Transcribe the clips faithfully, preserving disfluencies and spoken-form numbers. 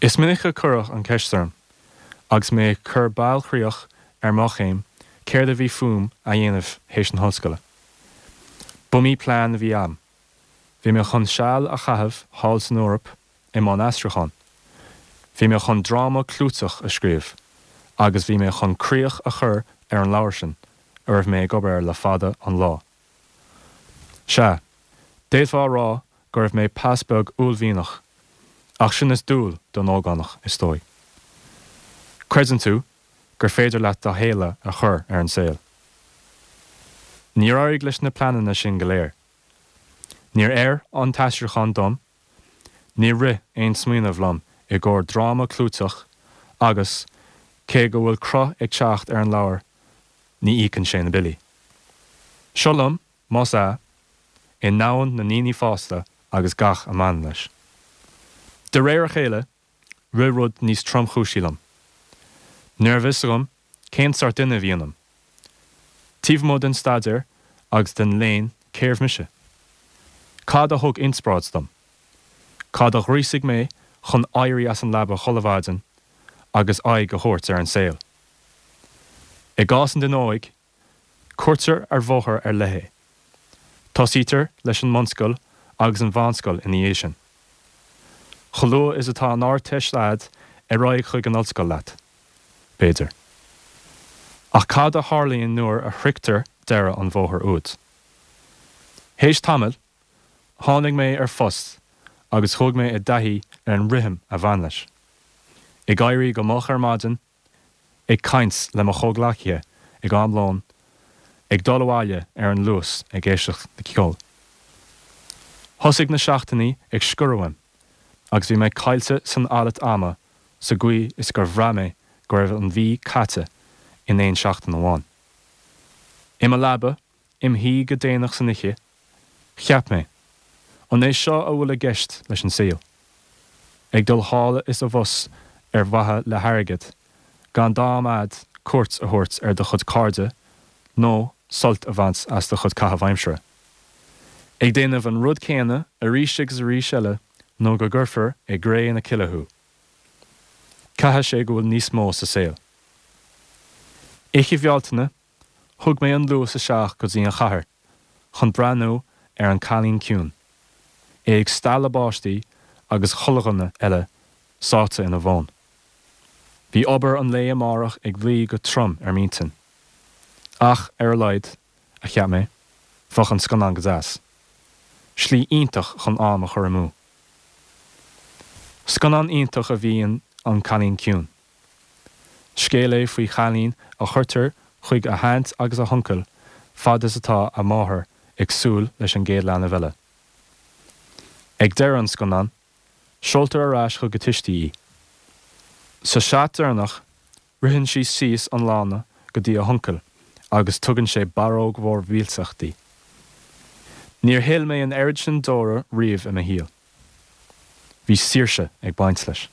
Is minic a cuireadh an cheist orm, agus mé ag cur bailchríoch ar mo chéim céard a bhí fúm a dhéanamh théis na hollscoile. B'iomaí plean a bhí a'm. Bhí mé chun seal a chaitheamh thall san Eoraip i mbun aistriúcháin. Bhí mé chun dráma clúiteach a scríobh, agus bhí mé chun críoch a chur ar an leabhar sin a raibh mé ag obair le fada an lá. Sea, d'fhéadfá a rá go raibh mé pas beag uaillmhianach, ach sin is dual don ógánach is dóigh. Creideann tú gur féidir leat do shéala a chur ar an saol. Níor éirigh leis na pleananna sin go léir. Níor oir an t-aistriúchán dom, níor rith aon smaoineamh liom i gcomhair dráma clúiteach agus cé go bhfuil cruth ag teacht ar an leabhar ní íocann sé na billí. Seo liom, más ea, i ndomhan na ndaoine fásta agus gach a mbaineann leis. De réir a chéile, rith rud níos tromchúisí liom. Ní raibh fhios agam cén sórt duine a bhí ionam. Taobh amuigh den staidéar agus den léann cérbh mise. Cad a thug inspioráid dom. Cad a ghríosaigh mé chun éirí as an leaba chuile mhaidin agus aghaidh a thabhairt ar an saol. I gcás an duine óig, cuirtear ar bhóthar ar leith é. Tosaítear leis an mbunscoil agus an mheánscoil ina dhiaidh sin. Chomh luath is atá an Ardteist a'd ar aghaidh chuig an ollscoil leat. B'fhéidir. Ach cad a tharlaíonn nuair a shroichtear deireadh an bhóthair úd. Théis tamaill, tháinig mé ar phost agus chuaigh mé i dtaithí ar an rithim a bhain leis. Ag éirí go moch ar maidin, ag caint le mo chomhghleacaithe ag am lóin, ag dul abhaile ar an luas ag éisteacht le ceol. Thosaigh na seachtainí ag sciorradh uaim, agus bhí mé caillte san alt ama sa gcaoi is gur bhraith mé go raibh an mhí caite in aon seachtain amháin. I mo leaba, im shuí go déanach san oíche, cheap mé, an é seo a bhfuil i gceist leis an saol. Ag dul thall is abhus ar mhaithe le hairgead, gan d'am a'd cuairt a thabhairt ar do chuid cairde nó sult a bhaint as do chuid caitheamh aimsire. Ag déanamh an rud céanna arís agus arís eile nó go gcuirfear i gcré na cille thú. Caithfidh sé go bhfuil níos mó sa saol. Oíche Bhealtaine, thug mé an Luas isteach go dtí an chathair chun breathnú ar An Cailín Ciúin, é ag stealladh báistí agus chuile dhuine eile sáite ina bhfón. Bhí obair an lae amárach ag luí go trom ar m'intinn. Ach ar a laghad, a cheap mé, bheadh an scannán go deas. Slí iontach chun am a chur amú. Scannán iontach a bhí in An Cailín Ciúin. Scéal é faoi chailín a chuirtear chuig a haint agus a huncail fad is atá a máthair ag súil leis an gcéad leanbh eile. Ag deireadh an scannáin, seoltar ar ais chuig a tuistí í. Sa seat deireanach, ritheann sí síos an lána go dtí a huncail agus tugann sé barróg mhór mhillteach di. Níor shil mé an oiread sin deora riamh i mo shaol. Bhí saoirse ag baint leis.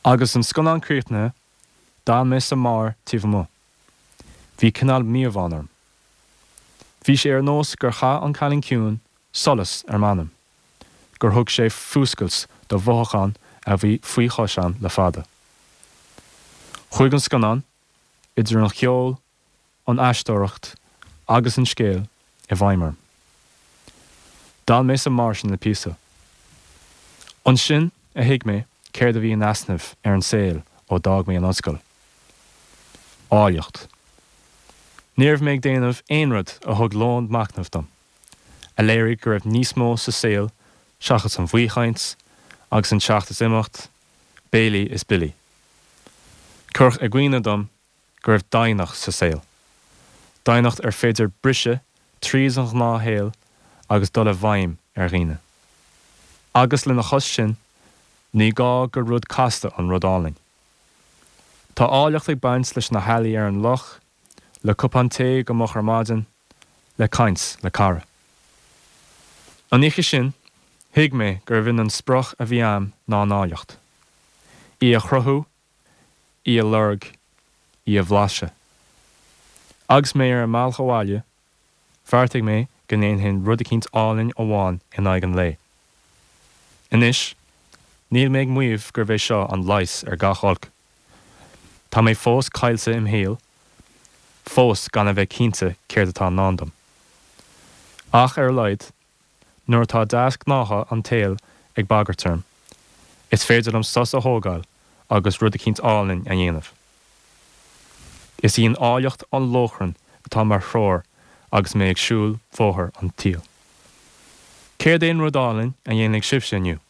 Agus an scannán críochnaithe, d'fhan mé sa mbeár taobh amuigh. Bhí cineál míobháin orm. Bhí sé ar nós gur chaith An Cailín Ciúin solas ar m'anam, gur thug sé fuascailt do mhothúchán a bhí faoi chois a'm le fada. Chuaigh an scannán, idir an cheol, an aisteoireacht agus an scéal i bhfeidhm orm. D'fhan mé sa mbeár sin le píosa. Ansin a thuig mé céard a bhí in easnamh ar an saol ó d'fhág mé an ollscoil. Áilleacht. Ní raibh mé ag déanamh aon rud a thug lón machnaimh dom, a léirigh go raibh níos mó sa saol seachas an bhaothchaint agus an teacht is imeacht, béilí is billí. Cuireadh i gcuimhne dom go raibh doimhneacht sa saol. Doimhneacht ar féidir briseadh tríd an ngnáthshaol agus dul i bhfeidhm ar dhaoine. Agus lena chois sin, ní gá gur rud casta an rud álainn. Tá áilleacht ag baint leis na healaí ar an loch, le cupán tae go moch ar maidin, le caint le cara. An oíche sin, thuig mé gurbh in an sprioc a bhí a'm ná an áilleacht. Í a chruthú, í a lorg, í a bhlaiseadh. Agus mé ar an mbealach abhaile, bheartaigh mé go ndéanfainn rud eicínt álainn amháin in aghaidh an lae. Anois, Níl mé ag maíomh gurb é seo an leigheas ar gach olc. Tá mé fós caillte im shaol, fós gan a bheith cinnte céard atá i ndán dom. Ach ar a laghad, nuair atá deasghnátha an tsaoil ag bagairt orm, is féidir liom sos a thógáil agus rud eicínt álainn a dhéanamh. Is í an áilleacht an lóchrann atá mar threoir agus mé ag siúl bóthar an tsaoil. Céard é an rud álainn a dhéanfaidh sibhse inniu?